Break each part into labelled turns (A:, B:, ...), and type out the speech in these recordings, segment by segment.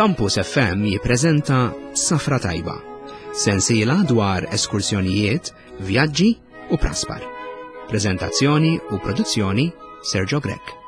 A: Campus FM jippreżenta Safra Tajba, sensiela dwar eskursjonijiet, vjaġġi u praspar. Preżentazzjoni u produzzjoni Sergio Grech.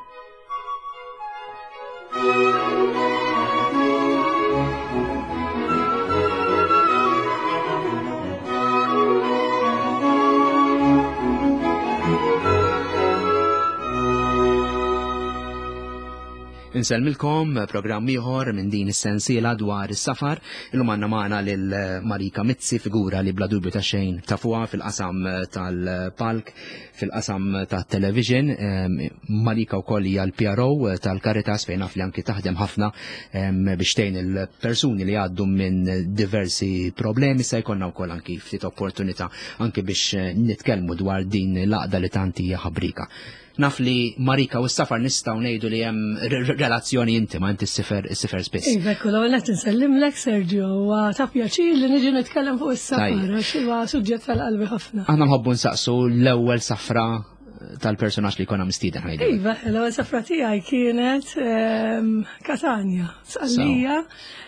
A: Insellmilkom programm ieħor minn din is-sensiela dwar is-safar. Illum għandna magħna lil Marika Mizzi, figura li bla dubju ta' xejn tafuha fil-qasam tal-palk, fil-qasam tat-television. Ehm, Marika wkoll hija l-PRO tal-Caritas fejn naf li anki taħdem ħafna ehm, biex tgħin il-persuni li għaddu minn diversi problemi se jkollna wkoll anki ftit opportunità anki biex nitkellmu dwar din l-għaqda li tant hija ħabrika. Naf li Marika u s-safar nistgħu ngħidu li hemm relazzjoni intima inti s-sifer s-sifer spiss.
B: Iva, kull ewwel qed insellimlek Sergio, huwa ta' pjaċir li niġi nitkellem fuq is-safar għax huwa suġġett tal-qalbi ħafna.
A: Aħna nħobbu nsaqsu l-ewwel safra tal-personaġġ li konna mistieden ħajdu.
B: Iva, l-ewwel safra tiegħi kienet ehm, Katanja, Sqallija.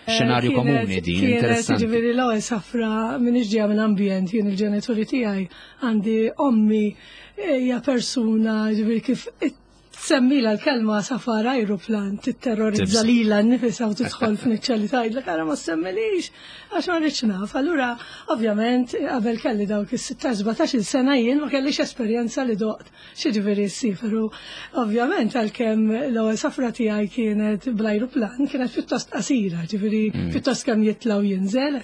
A: Eh, Xenarju komuni din,
B: interessanti. Ġifieri l-ewwel safra minn ġejja minn ambjent jien il-ġenituri tiegħi għandi ommi Hija persuna ġifieri kif semmila l-kelma safar ajruplan titterrorizza lila nnifisha u tidħol f'niċċa li tgħidlek ara ma semmilix għax ma rridx naf. Allura ovvjament qabel kelli dawk is-16 17-il sena jien ma kellix esperjenza li doqt xi ġifieri ssifer u ovvjament għalkemm l-ewwel safra tiegħi kienet bl-ajruplan kienet pjuttost qasira, ġifieri mm. pjuttost kemm jitla' u jinżel.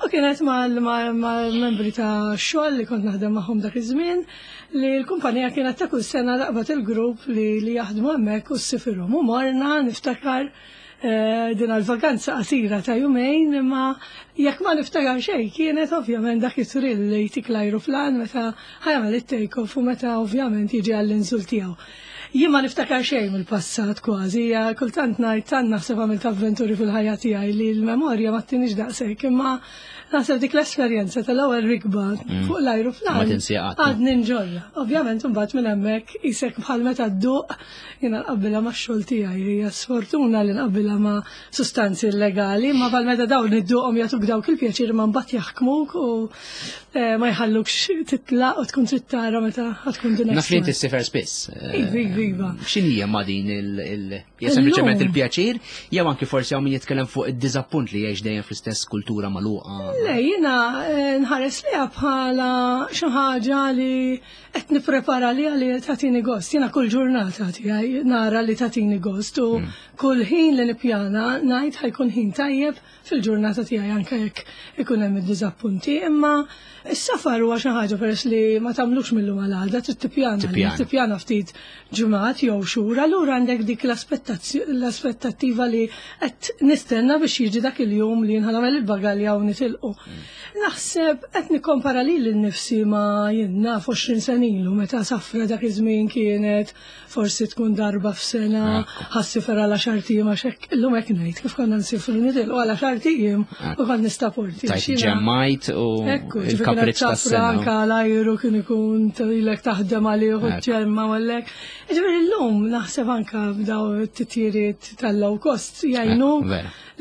B: U kienet mal-membri ta' xogħol li kont naħdem magħhom dak iż-żmien li l-kumpanija kienet ta' kull sena laqbat il-grupp li, li jaħdmu hemmhekk u ssifirhom. U morna niftakar eh, din għal-vakanza qasira ta' jumejn imma jekk ma niftakar xejn kienet ovvjament dak it-trill li jtik l-ajruplan meta ħajamel it-take-off u meta ovvjament jiġi għall-inżul tiegħu. Jien ma niftakar xejn mill-passat kważi, kultant ngħid tant naħseb għamilt avventuri fil-ħajja tiegħi li l-memorja ma ttinix daqshekk, imma naħseb dik l-esperjenza tal-ewwel rikba mm. fuq l-ajruplan għadni nġorra. Ovvjament imbagħad minn hemmhekk isek bħal meta dduq jiena nqabbilha max-xogħol tiegħi, hija sfortuna li nqabbilha ma' sustanzi illegali, ma bħal meta dawn idduqhom jagħtuk dawk il-pjaċir ma mbagħad jaħkmuk u Eh, ma jħallukx titlaq u tkun trid tara meta tkun din.
A: Naf li inti ssifer spiss.
B: Eh, iva, iva, iva.
A: X'inhija ma din il hija sempliċement il-pjaċir jew anki forsi hawn min jitkellem fuq id-diżappunt li jgħix dejjem fl-istess kultura magħluqa.
B: Le, jiena eh, nħares liha bħala xi ħaġa li qed nipprepara li li tagħtini gost. Jiena kull ġurnata tiegħi nara li tagħtini gost u mm. kull ħin li nippjana ngħid ħajkun ħin tajjeb fil-ġurnata tiegħi anke jekk ikun hemm id-diżappunti, imma s-safar huwa xi ħaġa peress li ma tagħmlux mill-lum għal għada, trid tippjana, tippjana ftit ġimgħat jew xhur, allura għandek dik l-aspettattiva li qed nistenna biex jiġi dak il-jum li nħanamel il-bagalja u nitilqu. Mm. Naħseb qed nikkompara lili nnifsi ma jien naf 20 sena ilu meta safra dak iż-żmien kienet forsi tkun darba f'sena, ħassifer għal għaxar ijiem għax hekk illum hekk ngħid kif konna nsifru nitilqu għal għaxar ijiem u kont nistaporti.
A: Tajt ġemmajt u il-kapriċ tas-sena.
B: Anka l-ajru kien ikun ilek taħdem għalih u ġemma u għallek. Ġifieri llum naħseb anka b'daw it-titjiriet tal-low cost jgħinu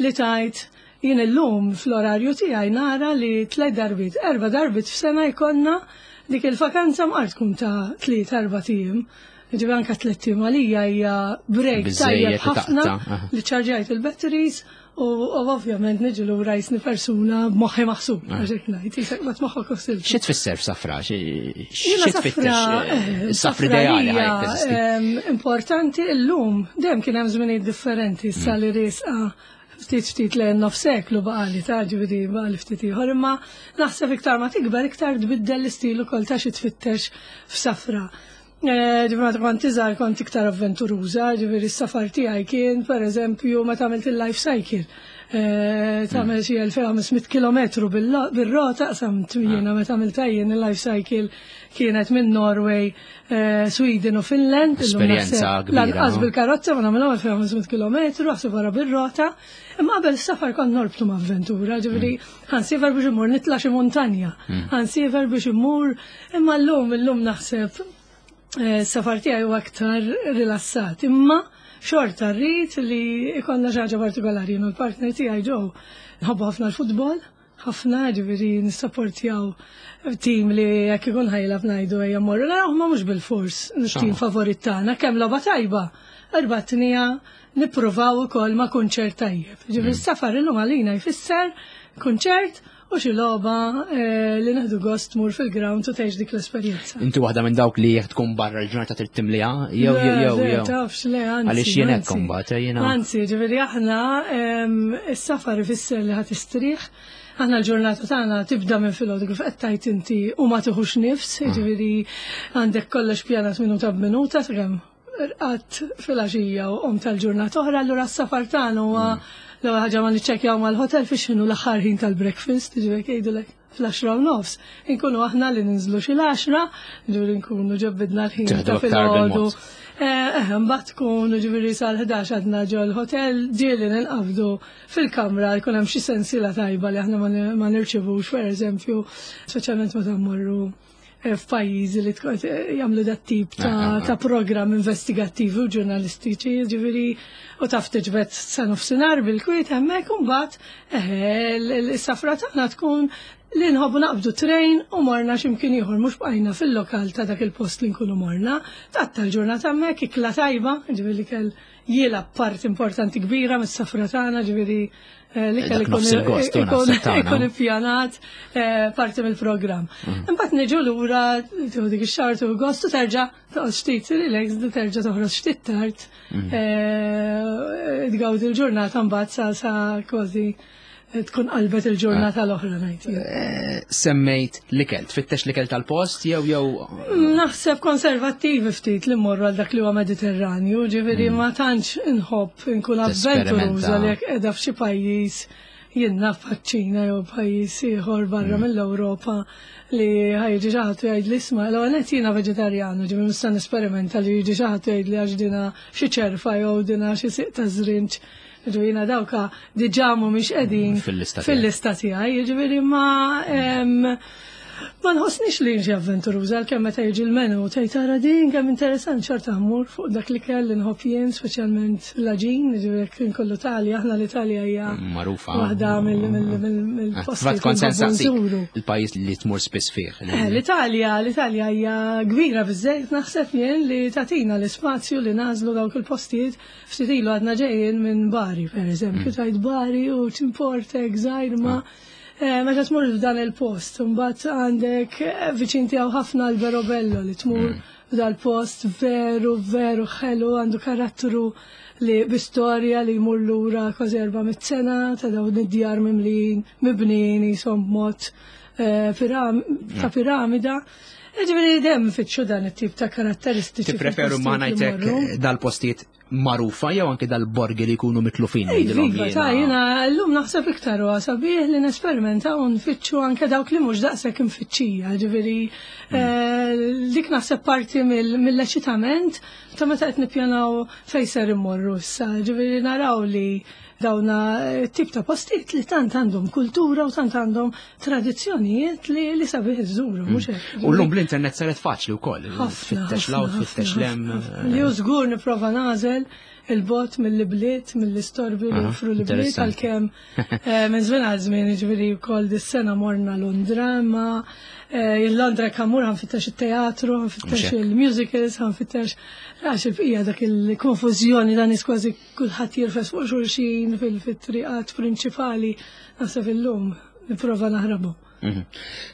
B: li tajt jien illum fl-orarju tiegħi nara li tliet darbiet, erba' darbiet f'sena jkollna Dik il-vakanza mqar tkun ta' tliet erba' tiem. Ġifieri anke tliet tiem għalija hija break tajjeb ħafna li ċarġajt il-batteries u ovvjament niġi lura jisni persuna b'moħħi maħsub, għax hekk ngħid, jisek ma tmoħħok u
A: Xi tfisser f'safra? Xi tfittex eh, safra ideali
B: Importanti llum dejjem kien hemm żminijiet differenti issa li riesqa ftit ftit lejn nofs seklu baqali ta' ġifieri baqali ftit ieħor, imma naħseb iktar ma tikber iktar tbiddel l-istil ukoll ta' xi tfittex f'safra. Eh, ġifieri meta kont iżgħar kont iktar avventuruża, ġifieri s-safar tiegħi kien pereżempju meta għamilt il-life cycle. Eh, tagħmel xi 2500 km bir-rota qsam jiena meta għamilta jien il-life cycle kienet minn Norway Eh, Sweden u Finland.
A: Esperjenza kbira.
B: Lanqas bil-karozza ma nagħmilha 2500 km, aħseb wara bir-rota. Imma qabel safar kont norbtu ma' avventura, ġifieri mm. ħansifer biex immur nitla' xi muntanja, mm. ħansifer biex immur, imma llum illum naħseb. Safar tiegħi huwa aktar rilassat, imma xorta rrid li ikollna xi ħaġa partikolari. Jien u l-partner tiegħi ġew nħobbu ħafna l-futbol, ħafna ġifieri nissapportjaw tim li jekk ikun ħajlab ngħidu ejja mmorru naraw ma mhux bil-fors tim favorit tagħna kemm logħba tajba. Erbatnija nippruvaw ukoll ma' kunċert tajjeb. Ġifieri s-safar illum għalina jfisser kunċert u xi logħba eh, li neħdu gost tmur fil-ground u tgħix dik l-esperjenza.
A: Inti waħda minn dawk li jekk tkun barra l-ġurnata trid timliha jew jew jew jew.
B: Tafx le anzi.
A: Għaliex jien hekk imbagħad eh, jiena.
B: Anzi, ġifieri aħna is-safar ifisser li ħadd istrieħ. Aħna l-ġurnata tagħna tibda minn filgħodu kif qed tgħid inti u ma tieħux nifs, mm. ġifieri għandek kollox pjanat minuta b'minuta sakemm rqadt filgħaxija u qomt tal-ġurnata oħra, allura s-safar tagħna huwa mm. l-ewwel ħaġa ma niċċekkjaw mal-hotel fiex x'inhu l-aħħar ħin tal-breakfast, ġifieri jgħidulek fl-10:30. Inkunu aħna li ninżlu xi l-10, ġifieri nkunu ġebbidna l-ħin ta' filgħodu. Eh, eh, mbagħad tkun ġifieri sal-11 għadna ġol hotel ġieli ninqabdu fil-kamra jkun hemm xi sensiela tajba li aħna ma nirċivux, pereżempju, speċjalment meta mmorru Eh, f'pajjiżi li eh, jagħmlu dat tip ta', ah, ah, ah. ta programm investigattivi u ġurnalistiċi, ġifieri u taf tiġbed sa nofsinhar bil-kwiet hemmhekk u mbagħad eh, is-safra tagħna tkun li nħobbu naqbdu trejn u morna x'imkien ieħor mhux bqajna fil-lokal ta' dak il-post li nkunu morna. Tatta l-ġurnata hemmhekk ikla tajba, ġifieri li kell jilgħab part importanti kbira mis-safra tagħna, ġifieri Eh, li kelli ikun ippjanat eh, parti mill-programm. Mm. Imbagħad niġu lura tieħu dik ix-xahar tieħu gost u terġa' toqgħod ftit relax terġa' toħroġ ftit tard. Mm. Eh, tgawdi l-ġurnata mbagħad sa sa kważi tkun qalbet il-ġurnata l-oħra ngħid.
A: Semmejt l-ikel, tfittex l-ikel tal-post jew jew
B: Naħseb konservattivi ftit li mmorru għal dak li huwa Mediterranju, ġifieri ma tantx inħobb inkun avventuruża li jekk qiegħda f'xi pajjiż jien naf bħaċ-Ċina jew pajjiż ieħor barra mm. mill-Ewropa li ħajġi xi ħadd jgħid li isma' l-ewwel qed jiena veġetarjanu, ġifieri nista' nesperimenta li jiġi xi ħadd jgħid li għax dina xi ċerfa jew dina xi siq ta' żrinġ. Ġifieri jiena dawka diġà mhumiex qegħdin fil-lista tiegħi, jiġifieri ma Ma nħossnix li xi avventuruża għalkemm meta jiġi l-menu tgħid tara din kemm interessant xorta mmur fuq dak li kell li nħobb jien speċjalment l-għaġin, jiġifieri jekk inkollu Talja, aħna l-Italja hija
A: magħrufa
B: waħda mill-postijiet.
A: Kont se nsaqsik il-pajjiż li tmur spiss fih.
B: Eh, L-Italja, l-Italja hija kbira biżżejjed naħseb jien li tagħtina l-ispazju li nagħżlu dawk il-postijiet ftit ilu għadna ġejjin minn Bari, pereżempju, mm. tajt Bari u ċimportek żgħir ma' ah. Eh, meta tmur f'dan il-post, mbagħad għandek eh, viċin tiegħu ħafna Alberobello li tmur mm. f'dal-post veru veru ħelu għandu karattru li bi-storja li jmur lura kważi 400 sena ta' dawn id-djar mimlin mibnijin jisom b'mod eh, ta' mm. piramida. Ġifieri dem fitxu dan it-tip ta' karatteristiċi.
A: Tippreferu ma ngħidlek dal-postijiet magħrufa jew anke dal-borgi li jkunu mitlufin.
B: Iva, ta' jiena llum naħseb iktar huwa sabiħ li nesperimentaw u nfittxu anke dawk li mhux daqshekk imfittxija, ġifieri mm. eh, dik naħseb parti mill-eċitament ta' meta qed nippjanaw fejn ser immorru issa, ġifieri naraw li dawna eh, tip ta' postijiet li tant għandhom kultura u tant għandhom tradizzjonijiet li li sabiħ iżżuru, mhux
A: hekk. U llum bl-internet saret faċli wkoll. Fittex law, tfittex lem.
B: Li hu żgur nipprova nagħżel il-bot mill-bliet, mill-istorbi li joffru l-bliet għalkemm eh, minn żmien għal żmien jiġifieri wkoll dis-sena morna Londra, imma eh, il-Londra kammur ħanfittex it-teatru, ħanfittex il-musicals, ħanfittex għax il-bqija dak il-konfużjoni dan kważi kulħadd jirfes fuq xulxin fil-triqat prinċipali naħseb illum nipprova naħrabu.
A: Mhm.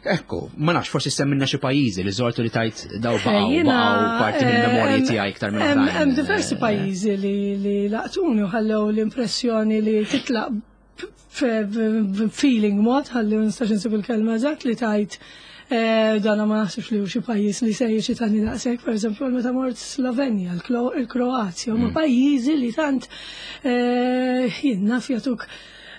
A: Ekku, ma nafx, forsi semminna xi pajjiżi li żortu li tajt daw baqgħu baqgħu parti mill-memorji eh, tiegħi iktar minn
B: Hemm diversi eh, pajjiżi li laqtuni u ħallew l-impressjoni li titlaq feeling mod ħalli nistax insib il-kelma eżatt li tajt eh, dana ma naħsibx li xi pajjiż li se jiġi tani daqshekk, pereżempju meta mort Slovenja, il-Kroazja, huma mm. pajjiżi li tant jien naf jagħtuk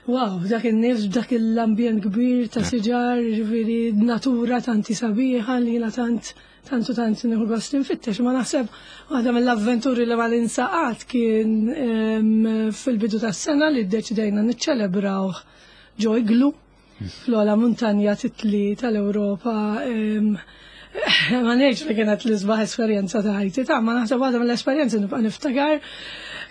B: Wow, dak in-nifs, dak l-ambjent kbir ta' siġar, ġifieri natura tanti sabiħa li jiena tant tant u tant nieħu gost infittex. Ma naħseb waħda mill-avventuri li ma ninsaqat kien fil-bidu tas-sena li ddeċidejna niċċelebrawh ġo iglu fl-ogħla muntanja titli tal-Ewropa. Ma ngħidx li kienet l-isbaħ esperjenza ta' ħajti ta' ma naħseb waħda mill-esperjenzi nibqa' niftakar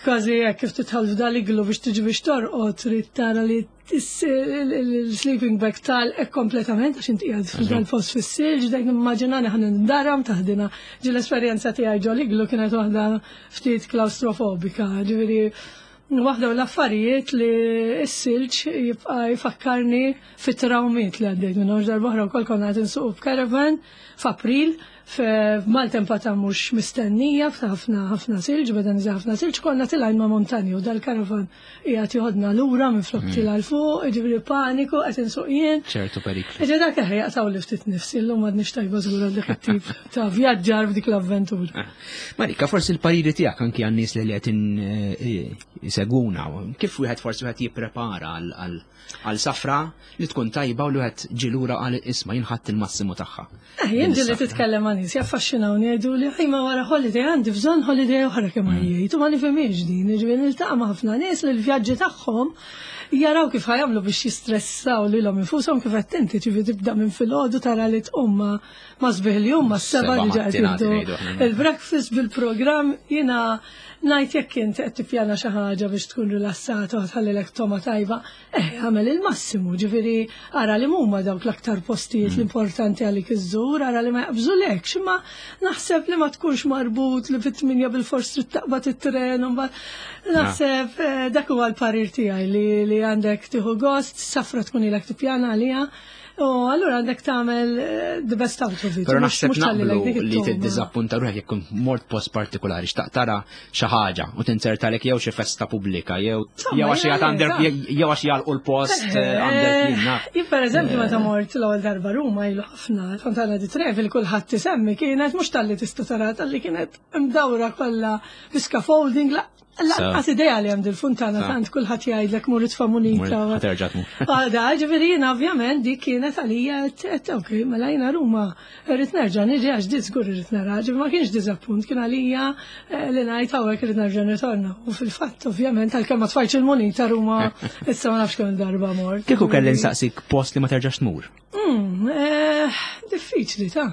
B: kważi hekk kif tidħol f'dal-iglu biex tiġi biex torqod trid tara li l-sleeping bag tal kompletament għax inti qiegħed f'dal-post fis-silġ, dak nimmaġinani ħan nindaram taħdina. Ġi l-esperjenza tiegħi ġol-iglu kienet waħda ftit klaustrofobika, ġifieri waħda mill-affarijiet li s-silġ jibqa' jfakkarni fit-trawmiet li għaddejt minnhom. Darba oħra wkoll konna qed insuqu b'caravan f'April f'maltempata mhux mistennija f'ħafna ħafna silġ, beda niżel ħafna silġ, konna tilgħin ma' montani u dal-caravan qiegħed joħodna lura minn flok tila' 'l fuq, jiġifieri paniku qed insuq jien.
A: Ċertu periklu.
B: Jiġifieri dak eħe jaqtgħuli ftit nifsi, llum m'għadniex tajba żgur għal dak it-tip ta' vjaġġar f'dik l-avventura.
A: Marika, forsi l-pariri tiegħek anki għan-nies li qed isegwuna, kif wieħed forsi wieħed jipprepara għal safra li tkun tajba u li wieħed ġie lura qal isma' jien ħadt il-massimu tagħha.
B: Eh, jien ġieli titkellem ma' nies jaffaxxinawni jgħidu li ma wara holiday għandi bżonn holiday oħra kemm għajjejt u ma nifhimhiex din, jiġifieri niltaqa' ma' ħafna nies li l-vjaġġi tagħhom jaraw kif ħajamlu biex jistressaw lilhom infushom kif qed inti ġifieri tibda minn filgħodu tara li tqum ma' ma' sbieħ il-jum ma' s-sebgħa diġà qed jieħdu il-breakfast bil-programm jiena ngħid jekk int qed tippjana xi ħaġa biex tkun rilassata u tħallilek toma tajba, eh agħmel il-massimu, ġifieri ara li huma dawk l-aktar postijiet l-importanti għalik iżżur, ara li ma jaqbżulekx, imma naħseb li ma tkunx marbut li fit-8 bilfors trid taqbad it-tren u mbagħad naħseb dak huwa l-parir tiegħi li għandek tieħu gost, safra tkun ilek tippjana għaliha. U allura għandek tagħmel the best out of it.
A: Però naħseb naqblu li tiddiżappunta ruħek jekk kont mort post partikolari, xtaq tara xi ħaġa u tinzertalek jew xi festa pubblika jew jew għax jgħid under jew għax jagħlqu l-post under clean naf.
B: Jien pereżempju meta mort l-ewwel darba Ruma ilu ħafna, Fontana di Trevi li kulħadd isemmi kienet mhux talli tista' tara talli kienet imdawra kollha bi scaffolding Lanqas idea li hemm dil-funtana tant kulħadd jgħidlek mur itfa' munita.
A: Terġa' tmur.
B: Għada, ġifieri jiena ovvjament dik kienet għalija qed ok, mela jiena Ruma irrid nerġa' niġi għax di żgur irrid nara, ġifieri ma kienx diżappunt, kien għalija li ngħid hawnhekk irrid nerġa' nirtorna. U fil-fatt ovvjament għalkemm ma tfajtx il-munita Ruma issa ma nafx kemm darba mort.
A: Kieku kelli nsaqsik post li ma terġax tmur.
B: Diffiċli ta'.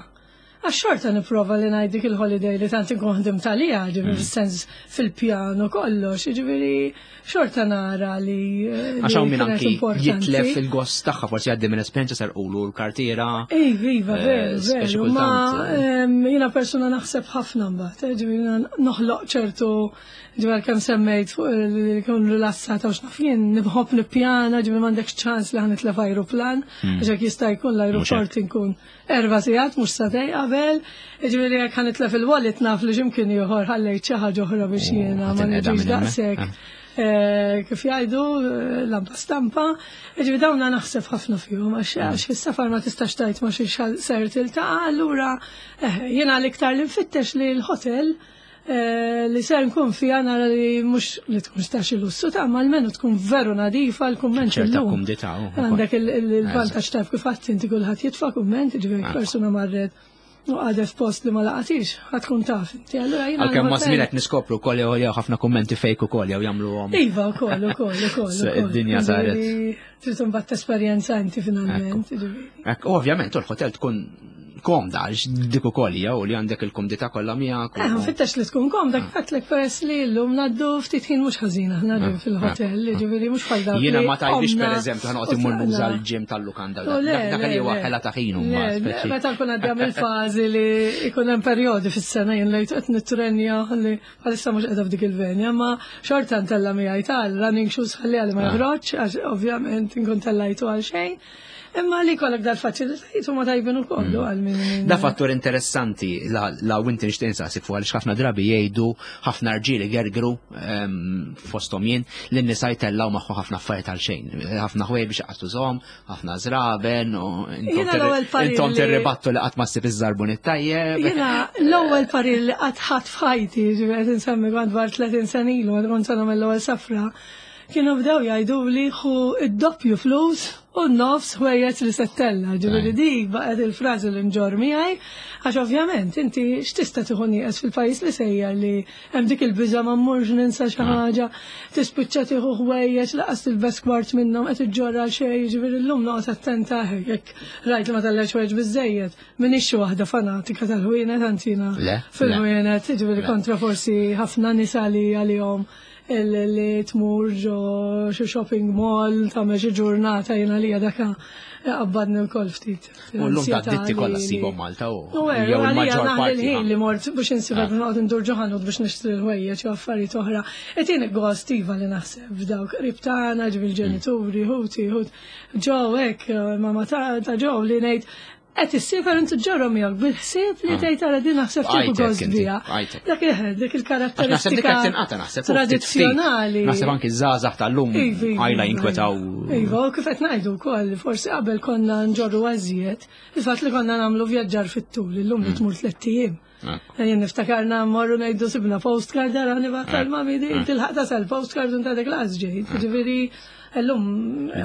B: Għax xorta nipprova li ngħid dik il-holiday li tant inkun ħdimt għaliha, ġifieri fis-sens fil-pjan u kollox, jiġifieri xorta nara li
A: Għax hawn min anki jitlef il-gost tagħha forsi jgħaddi minn esperjenza serqulu l-kartiera.
B: Iva, iva, veru, veru. Ma jiena persuna naħseb ħafna mbagħad, ġifieri noħloq ċertu ġifieri kemm semmejt fuq li nkun rilassata u x'naf jien, nħobb nippjana, ġifieri m'għandekx ċans li ħa nitlef ajruplan, għax jekk jista' jkun l-ajruport inkun 4 sigħat mhux sagħtejn qabel, jiġifieri jekk ħa nitlef il-wallet naf li x'imkien ieħor ħallejt xi ħaġa oħra biex jiena ma niġix daqshekk kif jgħidu lampa stampa. Jiġifieri dawna naħseb ħafna fihom għax fis-safar ma tistax tgħid ma xiex ser tiltaqa' allura jiena l-iktar li nfittex li l-hotel li ser nkun fija nara li mhux li tkun ta' xi lussu ta' ma almenu tkun veru nadifa l-kumment
A: ċerta kumdità.
B: Għandek il-vantaġġ taf kif għadt inti kulħadd jitfa' kumment, jiġifieri persuna marret u qagħdet f'post li ma laqatix, ħa tkun taf inti. Allura jiena
A: Għalkemm ma' żmien qed niskopru wkoll jew jew ħafna kummenti fake ukoll jew jagħmluhom.
B: Iva wkoll ukoll ukoll.
A: Id-dinja saret.
B: Trid imbagħad tesperjenza inti finalment.
A: Ekk, ovvjament, u l-hotel tkun komda, għax dik ukoll hija u li għandek il-kumdità kollha miegħek.
B: Eh, nfittex li tkun komda, kif għedtlek peress li llum ngħaddu ftit ħin mhux ħażin aħna ġim fil-hotel, jiġifieri mhux bħal dawk.
A: Jiena ma tajbix pereżempju ħanoqgħod immur nuża l-ġim tal-lukanda. Dak li huwa ħela ta' ħin huma.
B: Meta nkun għaddejja mill-fażi li jkun hemm perjodi fis-sena jien lejt qed nittrenja li bħalissa mhux qiegħda f'dik il-venja, ma xorta ntella' miegħi tal-running shoes ħalli għalli ma joħroġ, għax ovvjament inkun tellajtu għal xejn. Imma li kollok dal-faċilitajiet huma tajbin ukoll mm. għal min.
A: Da fattur interessanti la, la inti nixtieq insaqsik fuq għaliex ħafna drabi jgħidu ħafna rġieli gergru ehm, fosthom jien li n-nisa jtellaw magħhom ħafna affarijiet għal xejn. Ħafna ħwejjeġ biex jaqtużhom, ħafna żraben u intom tirribattu li qatt ma ssib iż-żarbun it-tajjeb.
B: Jiena l-ewwel parir li qatt ħadd f'ħajti, ġifieri qed insemmi kont dwar 30 sena ilu, kont sena mill-ewwel safra. Kienu bdew jgħiduli ħu id-doppju flus u nofs ħwejjeġ li se ttella'. Ġifieri dik baqgħet il-frażi li nġorr miegħi għax ovvjament inti x'tista' tieħu nieqes fil-pajjiż li sejjer li hemm dik il-biża' ma mmurx ninsa xi ħaġa, tispiċċa tieħu ħwejjeġ laqas tilbes kwart minnhom qed iġġorr għal xejn, jiġifieri llum noqgħod attenta jekk rajt li ma tellgħetx ħwejjeġ biżżejjed. M'iniex xi waħda fanatika tal-ħwienet, anzi jiena fil-ħwienet, jiġifieri kontra forsi ħafna nisa li għalihom li tmur ġo xi shopping mall tagħmel xi ġurnata jiena li daka qabbadni wkoll ftit.
A: U llum ta' ditti kollha ssibhom Malta u jew il-maġġor parti.
B: Il-ħin li mort biex insibha ah. noqgħod indur ġo ħanut biex nixtri l-ħwejjeġ u affarijiet oħra. Qed jien gost iva li naħseb f'dawk qrib tagħna, ġibil ġenituri, ħuti, ħut. Ġo hekk, mama ta' ġo li ngħid Qed issiefer inti ġġorrhom miegħek bil-ħsieb li ah. tgħid ara din naħseb tieħu gost biha. Dak dak il-karatteristika tradizzjonali.
A: Naħseb anki żgħażagħ tal-lum iva, iva, għajla iva, jinkwetaw.
B: Iva, u kif qed ngħidu wkoll, forsi qabel konna nġorru għażiet, il-fatt li konna nagħmlu vjaġġar fit-tul, illum li mm. tmur tlett ijiem. Jien niftakarna mmorru ngħidu sibna postcard ara nibgħat tal-mami di tilħaq tasal postcard u dak laqas ġejt. Ġifieri llum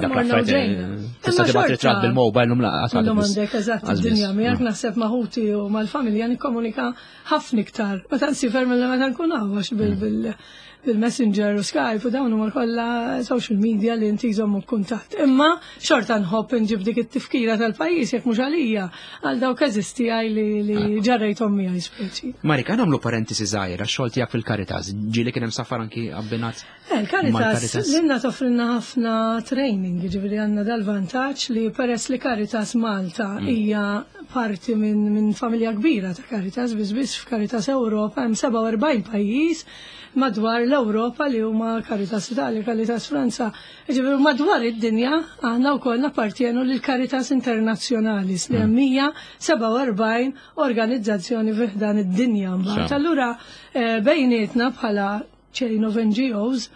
A: morna u ġejna. Tista' tibgħat ritratt bil-mobile lum laqas.
B: Illum għandek eżatt id-dinja miegħek naħseb ma' ħuti u mal-familja nikkomunika ħafna iktar. Meta nsifer mill meta nkun hawn għax bil bil-Messenger u Skype u dawn huma kollha social media li inti jżommu kuntatt. Imma xorta nħobb inġib dik it-tifkira tal-pajjiż jekk mhux għalija għal dawk eżisti għaj li ah. ġarrejthom miegħi speċi.
A: Marika, nagħmlu parentesi żgħira, xogħol tiegħek fil-Caritas, ġieli kien hemm safar anki abbinat.
B: Eh, Il-Caritas lilna toffrilna ħafna training, ġifieri għandna dal-vantaġġ li peress li Caritas Malta mm. hija parti minn min familja kbira ta' Caritas, biss biss f'Caritas Ewropa hemm 47 pajjiż madwar l-Ewropa li huma Caritas Italia, Caritas Franza, ġifieri madwar id-dinja aħna wkoll nappartjenu lil Caritas Internazzjonalis li hemm 147 organizzazzjoni fi ħdan id-dinja mbagħad. Allura eh, bejnietna bħala chain of NGOs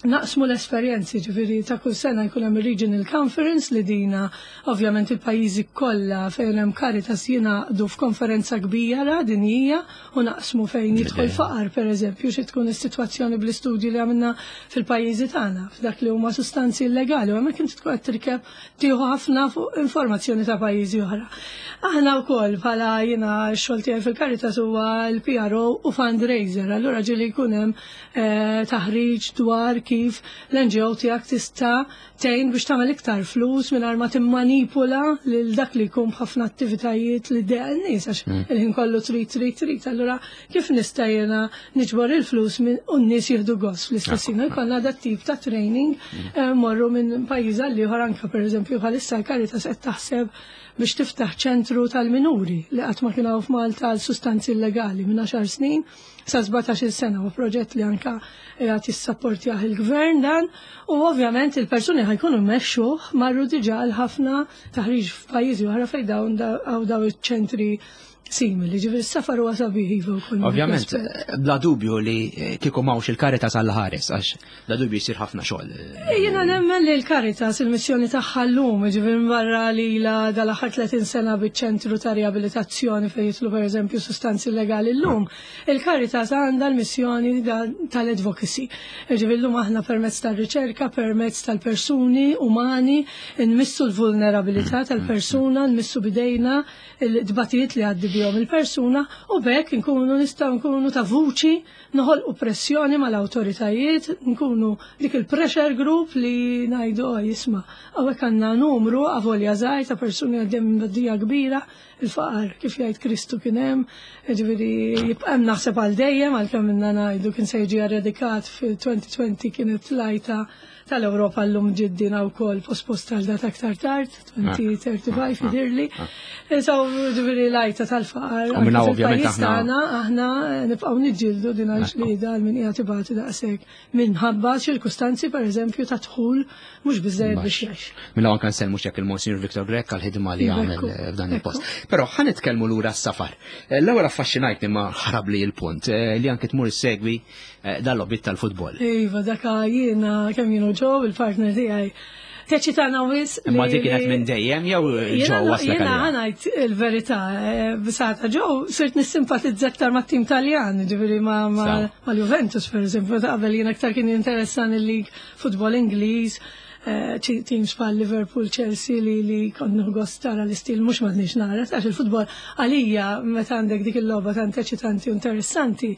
B: naqsmu l-esperjenzi, ġifieri ta' kull sena jkun hemm regional conference li dina ovvjament il-pajjiżi kollha fejn hemm Caritas jingħaqdu f'konferenza kbira dinjija u naqsmu fejn jidħol faqar pereżempju xi tkun is-sitwazzjoni bl-istudji li għamilna fil-pajjiżi tagħna f'dak li huma sustanzi illegali u hemmhekk inti tkun qed tirkeb tieħu ħafna fuq informazzjoni ta' pajjiżi oħra. Aħna wkoll bħala jiena x-xogħol tiegħi fil-Caritas huwa l-PRO u fundraiser, allura ġieli jkun hemm eh, taħriġ dwar kif l-NGO tiegħek tista' tgħin biex tagħmel iktar flus mingħajr ma timmanipula lil dak li jkun b'ħafna attivitajiet li ddeq n-nies għax mm. il-ħin kollu trid trid trid. Allura kif nista' jiena niġbor il-flus minn u n-nies jieħdu gost fl-istess ħin. Jkollna dat tip ta' training mm. eh, morru minn pajjiż għal ieħor anke pereżempju bħalissa l-Caritas qed taħseb biex tiftaħ ċentru tal-minuri li qatt ma kien hawn f'Malta għal sustanzi illegali minn 10 snin sa 17-il sena u proġett li anka qiegħed jissapportjah il-gvern dan u ovvjament il-persuni ħajkunu mmexxuh marru diġà għal ħafna taħriġ f'pajjiżi oħra fejn dawn daw iċ-ċentri simili, ġifieri s-safar huwa sabiħ iva wkoll.
A: Ovvjament, bla dubju li kieku m'hawnx il-Caritas għal ħares għax bla dubju jsir ħafna xogħol.
B: Eh, jiena nemmen li l-Caritas il-missjoni tagħha llum, ġifieri barra li la dal-aħħar 30 sena biċ-ċentru ta' riabilitazzjoni fejn jidħlu pereżempju sustanzi illegali llum, il-Caritas għandha l-missjoni tal-advocacy. Ġifieri llum aħna permezz tar-riċerka, permezz tal-persuni umani, nmissu l-vulnerabilità tal-persuna, nmissu bidejna il-tbatijiet li għaddi bihom il-persuna u b'hekk inkunu nistgħu nkunu ta' vuċi noħolqu pressjoni mal-awtoritajiet, nkunu dik il-pressure group li ngħidu oh, jisma' hawnhekk għandna numru avolja żgħir ta' persuni għaddejja minn baddija kbira, il-faqar kif jgħid Kristu kien hemm, ġifieri jibqa' hemm naħseb għal dejjem għalkemm minna ngħidu kien se jiġi eradikat fil-2020 kienet lajta tal-Ewropa llum ġiddina wkoll posposta għal data aktar tard, 2035 jidirli. So, ġifieri lajta tal-faqar.
A: U minna ovvjament
B: aħna. Aħna nibqgħu niġġieldu din għal-ġlieda għal min qiegħed ibati daqshekk minħabba ċirkustanzi pereżempju ta' dħul mhux biżejjed biex jgħix.
A: Minna anke nsellmu xek il-Monsignor Victor Grech għal-ħidma li għamel eh, f'dan il-post. Però ħa nitkellmu lura s-safar. Eh, l-ewwel affaxxinajtni ma ħarabli l-punt eh, li anke tmur segwi Eh, dal-lobit tal-futbol.
B: Iva, daka jiena kemm jienu ġo il-partner tiegħi. Teċitana wis.
A: Imma dik kienet minn dejjem jew ġew waslek
B: Jiena ħanajt il-verità, eh, bisata ġew sirt nissimpatizza aktar mat-tim Taljan, ġifieri mal-Juventus pereżempju, ta' qabel jien aktar kien jinteressan il-lig futbol Ingliż, eh, teams bħal Liverpool, Chelsea li li kont nieħu gost tara l-istil mhux m'għadniex nara, għax il-futbol għalija meta għandek dik il-logħba tant eċitanti u interessanti.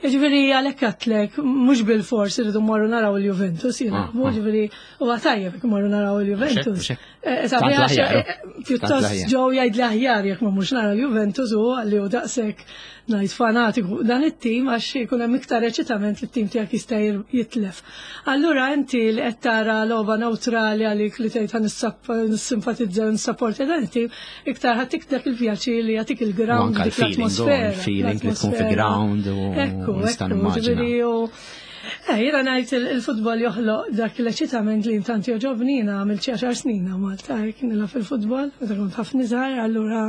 B: Ġifieri għalhekk għatlek mhux bil-fors irridu mmorru naraw il-Juventus jilagħbu, ah, ah. ġifieri huwa tajjeb jekk mmorru naraw il-Juventus. Eh, eh, pjuttost ġew jgħid li aħjar jekk ma mhux nara l-Juventus u li hu daqshekk ngħid fanatiku dan it-tim għax ikun hemm iktar eċitament li t-tim tiegħek jista' jitlef. Allura inti li qed tara logħba neutrali għalik li tgħid nissimpatizza u nissapporti dan it-tim, iktar ħadd dak il-pjaċir li jagħtik il-ground dik l-atmosfera.
A: Il-feeling li tkun fi ground u
B: ekku, ekku, Eh, jiena ngħid il-futbol joħloq dak l-eċitament li intant joġobni jiena għamilt xi għaxar snin Malta hekk nilgħab fil-futbol, meta kont ħafna żgħar, allura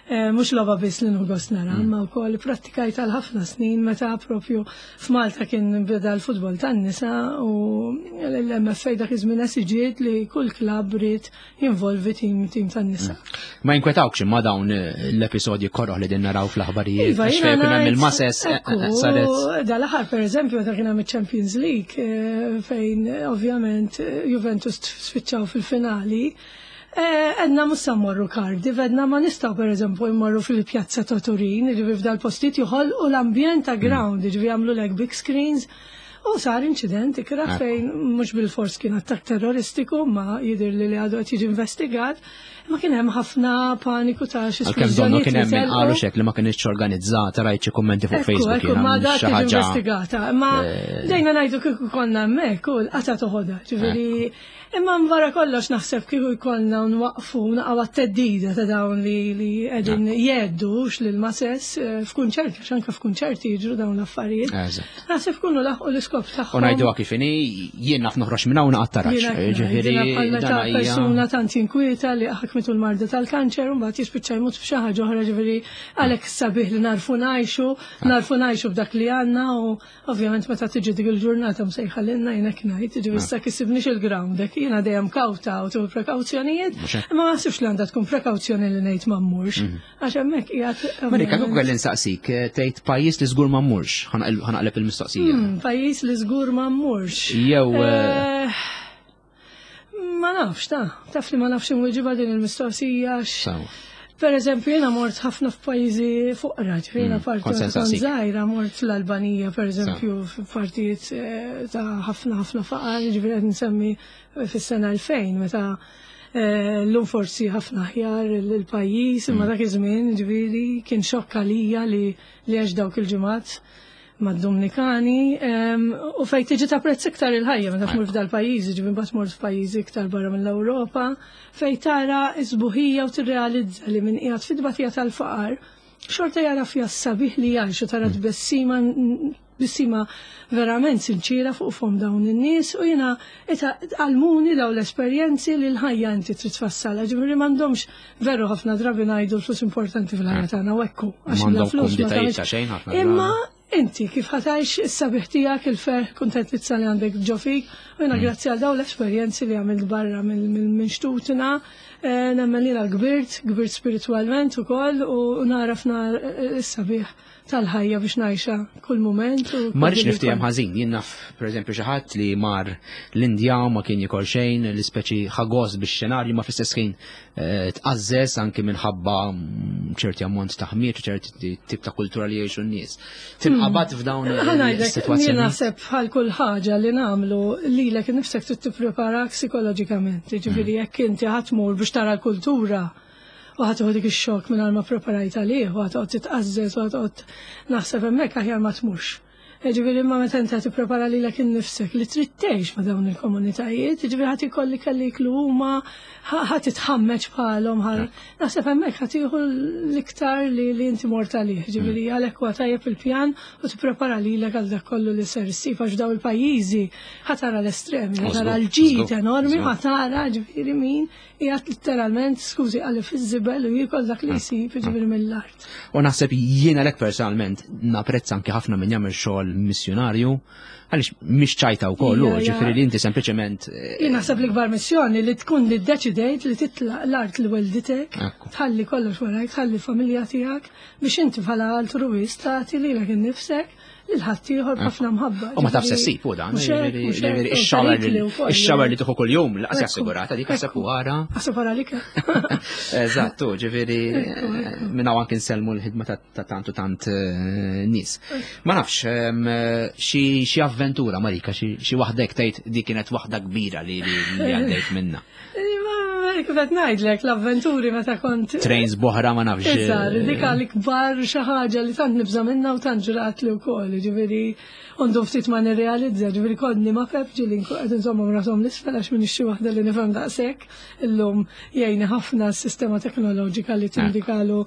B: Eh, mhux logħba biss li nħu nara, mm. imma wkoll prattikajt għal ħafna snin meta propju f'Malta kien beda l-futbol tan-nisa u l-MFA dak iż-żmien esiġiet li kull klabb ried jinvolvi tim tim tan-nisa. Mm.
A: Ma jinkwetawx imma dawn eh, l-episodji koroħ li din naraw fl-aħbarijiet. Iva, għax fejn hemm il-mases eh,
B: saret. Dal-aħħar pereżempju meta kien hemm iċ-Champions League fejn ovvjament Juventus spiċċaw fil-finali. Eh, edna mhux sa mmorru Cardiff, edna ma nistgħu pereżempju jmorru fil-pjazza ta' Turin, jiġifieri f'dal-postijiet joħolqu l-ambjent ta' mm. ground, jiġifieri jagħmlu lek big screens. U sar inċident ikra ah. fejn mhux bil-fors kien attakk terroristiku ma jidher li li għadu qed jiġi investigat, ma kien hemm ħafna paniku ta' xi
A: Għalkemm donnu kien hemm min qalu xek li ma kienx organizzata rajt xi kummenti fuq Facebook.
B: Ekku, ma da tiġi investigata. Ma eh. dejna ngħidu kieku konna hemmhekk u l-qata toħodha, ġifieri Imma wara kollox naħseb kieku jkollna nwaqfu naqgħu għat-theddida ta' dawn li li qegħdin jgħeddux lil masess eh, f'kunċerti, għax anke f'kunċerti jiġru dawn l-affarijiet. Naħseb kunu laħqu l-iskop tagħhom.
A: U ngħiduha kif inhi, jien naf noħroġ minn hawn naqgħod tarax.
B: Ġifieri meta persuna tant jinkwieta li ħakmitu l-marda tal-kanċer u mbagħad jispiċċa jmut f'xi ħaġa oħra ġifieri għalhekk sabiħ li narfu ngħixu, narfu ngħixu b'dak li għandna u Ovvjament meta tiġi dik il-ġurnata msejħa lilna jiena ngħid, jiġifieri issa kisibniex il-ground, hekk jiena dejjem kawta u tieħu prekawzjonijiet, imma ma naħsibx li għandha tkun prekawzjoni li ngħid ma mmurx, mhm. għax hemmhekk
A: qiegħed. Marika, kif kelli nsaqsik, eh, tgħid pajjiż li żgur ma mmurx, ħanaqleb il-mistoqsija.
B: Hmm, pajjiż li żgur ma mmurx.
A: Jew eh, eh,
B: Ma nafx, ta' taf li ma nafx inwiġiba din il-mistoqsija. Per eżempju, jena mort ħafna f'pajjiżi fuqra, ġifieri mm, parti żgħira mort l-Albanija, per eżempju, f'partijiet eh, ta' ħafna ħafna faqar, ġifieri qed nsemmi fis-sena 2000 meta eh, l-lum forsi ħafna aħjar il-pajjiż, imma mm. dak iż-żmien ġifieri kien xokk għalija li li għex dawk il-ġimgħat mad-Dominikani u fejn tiġi tapprezz iktar il-ħajja meta tmur f'dal-pajjiżi, ġifieri mbagħad mort f'pajjiżi iktar barra mill-Ewropa, fejn tara s-sbuħija u tirrealizza li min qiegħed fit-tbatija tal-faqar xorta jara fiha s-sabiħ li jgħix u tara tbessima tbissima verament sinċiera fuq fom dawn in-nies u jiena għallmuni dawn l-esperjenzi li l-ħajja inti trid tfassalha, ġifieri m'għandhomx Veru ħafna drabi ngħidu l-flus importanti fil-ħajja tagħna u ekku
A: għax bla flus ma tagħmilx.
B: Imma inti kif ħatajx is-sabiħ tiegħek il-ferħ kuntentizza li għandek ġo fik u jiena mm. grazzi għal dawn l-esperjenzi li għamilt barra minn xtutna eh, nemmen li kbirt, kbirt spiritwalment ukoll u naraf nar eh, is-sabiħ tal-ħajja biex ngħixha kull mument.
A: Ma rridx niftiehem ħażin, jien naf pereżempju xi ħadd li mar l-Indja u ma kien jikol xejn, l-ispeċi ħagos bix-xenarju ma fl-istess ħin eh, tqażżeż anki minħabba mm, ċerti ammont ta' ħmiet u ċerti tip ta' kultura li jgħixu n-nies. Tinqabad hmm. f'dawn
B: is-sitwazzjoni. Jien naħseb bħal kull ħaġa li nagħmlu lilek innifsek trid tippreparak psikoloġikament. Jiġifieri hmm. jekk inti ħadd tmur biex tara l-kultura u ħa tieħu dik ix-xokk mingħajr ma ppreparajt għalih u ħa toqgħod titqażżeż u ħa toqgħod naħseb hemmhekk aħjar ma tmurx. Jiġifieri imma meta inti tipprepara lilek innifsek li trid tgħix ma' dawn il-komunitajiet, jiġifieri ħadd ikolli kelli jiklu huma, ħadd titħammeġ bħalhom, naħseb hemmhekk ħadd tieħu l-iktar li li inti mort għalih, jiġifieri mm. għalhekk huwa tajjeb il-pjan u tipprepara lilek għal dak kollu li ser issib għax dawn il-pajjiżi ħa tara l-estremi, ħa tara l-ġid enormi, ħa tara ġifieri min Qiegħed litteralment, skużi, għalli fiż-żibel u jiekol dak li jsib, jiġifieri mill-art.
A: U naħseb jiena lek personalment napprezza anki ħafna min jagħmel xogħol ukoll missjonarju, għaliex mhix ċajta wkoll, ġifieri li inti sempliċement.
B: Jien naħseb l-ikbar missjoni li tkun li ddeċidejt li titlaq l-art li welditek, tħalli kollox warajk, tħalli l-familja tiegħek biex inti bħala altruwist tagħti lilek innifsek lil ħaddieħor b'ħafna mħabba.
A: U ma tafx se ssib u dan, ix-xawer li tieħu kuljum laqas assigurata dik ħaseb u wara.
B: Ħaseb wara lik.
A: Eżatt, ġifieri minn hawn anke nsellmu l-ħidma ta' tant u tant eh, nies. Ma nafx, xi avventura Marika, xi waħdek tgħid di kienet waħda kbira li għaddejt minna.
B: Kif qed ngħidlek l-avventuri meta kont.
A: Trains boħra ma nafx.
B: Iżgħar, dik l-ikbar xi ħaġa li tant nibża' minnha u tant ġrat li wkoll, ġifieri għandu ftit ma nirrealizza, ġifieri kodni ma pep ġieli nkun qed inżommhom rashom l-isfel għax m'iniex xi waħda li nifhem daqshekk. Illum jgħinni ħafna s-sistema teknoloġika li tindikalu.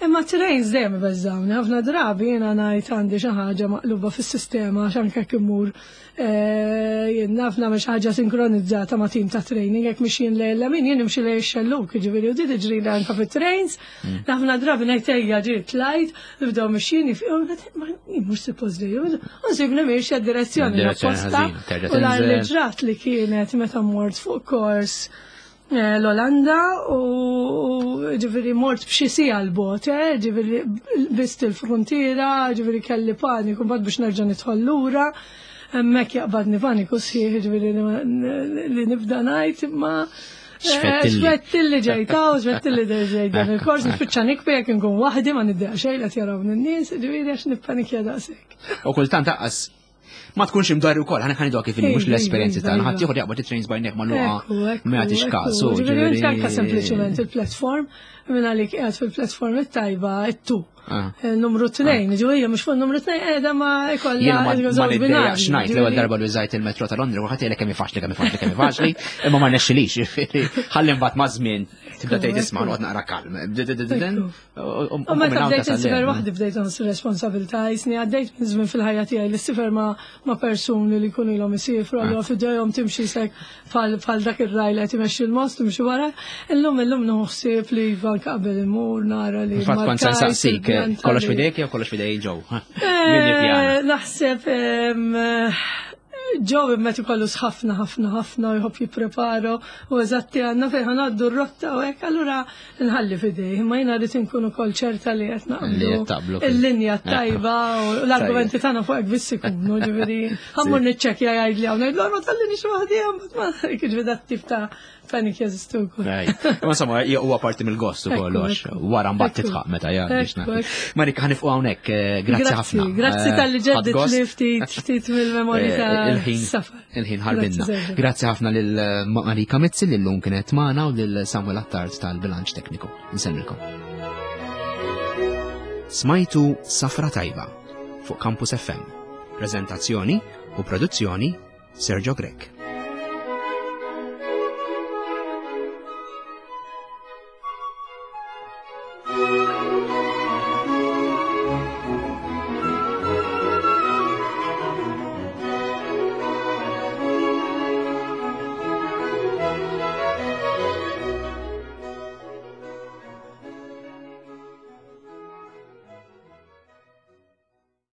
B: Imma trains dejjem ibeżżawni, ħafna drabi jiena ngħid għandi xi ħaġa maqluba fis-sistema għax anke jekk immur Eh, jien naf nagħmel xi ħaġa sinkronizzata ma' tim ta' training jekk mixjin lejn l-lemin jien nimxi lejn ix-xelluk, jiġifieri u di tiġri li anke fit-trains. Ħafna drabi ngħid ejja ġiet tlajt, nibdew mixjin jifqgħu mhux suppost li u nsibni miexja d-direzzjoni l-opposta. U l li ġrat li kienet meta mort fuq kors eh, l-Olanda u ġifiri mort b'xi sija l-bot, eh, ġifiri bist il-frontiera, ġifiri kelli paniku mbagħad biex nerġa' nidħol lura. Hemmhekk jaqbadni paniku sħiħ, ġifiri li nibda ngħid imma eh, Xfettilli ġejta u xfettilli ġejta dan il-kors, nispiċċa nikbi jekk nkun waħdi ma niddeq xejn qed jarawni n-nies, ġifieri għax nippanikja daqshekk.
A: U kultant aqqas ma tkunx imdorri wkoll, ħana ħanidu kif mhux l-esperjenzi tagħna, ħadd ieħor jaqbad it-trains bajnek magħluqa ma jagħtix każ.
B: Ġifieri anke sempliċement il-platform minn għalik qiegħed fil-platform it-tajba it-tu. Ah. Eh, numru 2, ah. ġifieri mhux fuq numru 2 qiegħda ma
A: ikollha. Jiena ma niddejjaqx ngħid l-ewwel darba li użajt il-metro ta' Londra, kulħadd jgħidlek kemm faċli, kemm faċli, kemm faċli, imma ma rnexxilix, ġifieri ħalli mbagħad ma' żmien tibda tgħid isma' noqgħod naqra kalm.
B: U meta bdejt insifer waħdi bdejt nħoss responsabilità, jisni għaddejt minn żmien fil-ħajja tiegħi li sifer ma' persuni li jkunu ilhom isifru, allura ah. f'idejhom timxi sek bħal dak ir-raj li qed imexxi l-most timxi wara. Illum illum nħossib li iva qabel imur nara li.
A: Fatt kont se nsaqsik, eh, kollox f'idejk jew kollox f'idej ġew?
B: Eh, naħseb Joe imma ikollu ħafna ħafna ħafna u jħobb jipprepara u eżatti għandna fejn ħanaddu r-rotta u hekk, allura nħalli f'idejh, imma jiena rrid inkun ukoll ċerta li qed naqblu il-linja tajba u l-argumenti tagħna fuq hekk biss ikunu, ġifieri ħammur niċċekkja jgħidli hawn ngħidlu ma tħallinix waħdi hemm ma jiġri dat tip ta' Panic jeżistu wkoll.
A: Ma insomma, huwa parti mill-gost ukoll għax wara mbagħad titħaq meta jgħaddi. Marika ħanifqu hawnhekk, eh, grazzi ħafna.
B: Grazzi eh, tal-li ġeddit li ftit ftit mill-memorji eh, ta' safar.
A: Il-ħin ħarbinna. Grazzi ħafna lil Marika Mizzi li llum kienet magħna u lil Samuel Attard tal-bilanċ tekniku. Nsellmilkom. Smajtu Safra Tajba fuq Campus FM. Prezentazzjoni u produzzjoni Sergio Grech.